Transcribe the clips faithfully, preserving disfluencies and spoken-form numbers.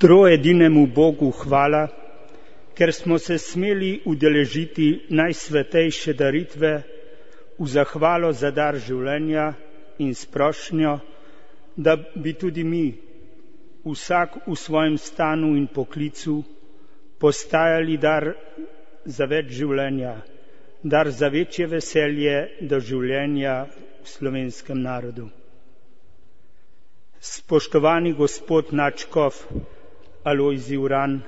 Troedinemu Bogu hvala, ker smo se smeli udeležiti najsvetejše daritve v zahvalo za dar življenja in s prošnjo, da bi tudi mi, vsak v svojem stanu in poklicu, postajali dar za več življenja, dar za večje veselje do življenja v slovenskem narodu. Spoštovani gospod nadškof Alojzij Uran,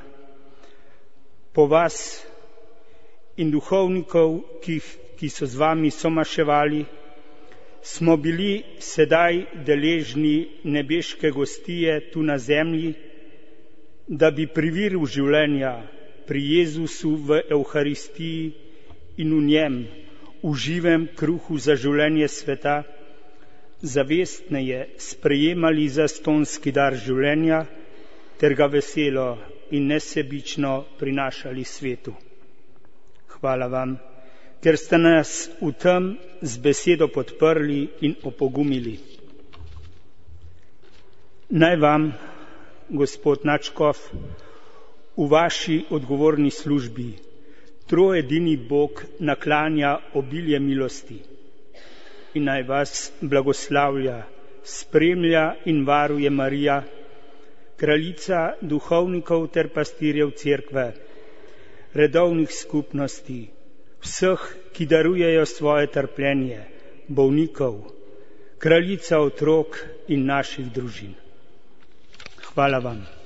po vas in duhovnikov, ki, ki so z vami somaševali, smo bili sedaj deležni nebeške gostije tu na zemlji, da bi pri viru življenja, pri Jezusu v Evharistiji in v njem, v živem kruhu za življenje sveta, zavestneje sprejemali zastonski dar življenja ter ga veselo in nesebično prinašali svetu. Hvala vam, ker ste nas v tem z besedo podprli in opogumili. Naj vam, gospod nadškof, v vaši odgovorni službi troedini Bog naklanja obilje milosti in naj vas blagoslavlja, spremlja in varuje Marija, kraljica duhovnikov ter pastirjev cerkve, redovnih skupnosti, vseh, ki darujejo svoje trpljenje, bolnikov, kraljica otrok in naših družin. Hvala vam.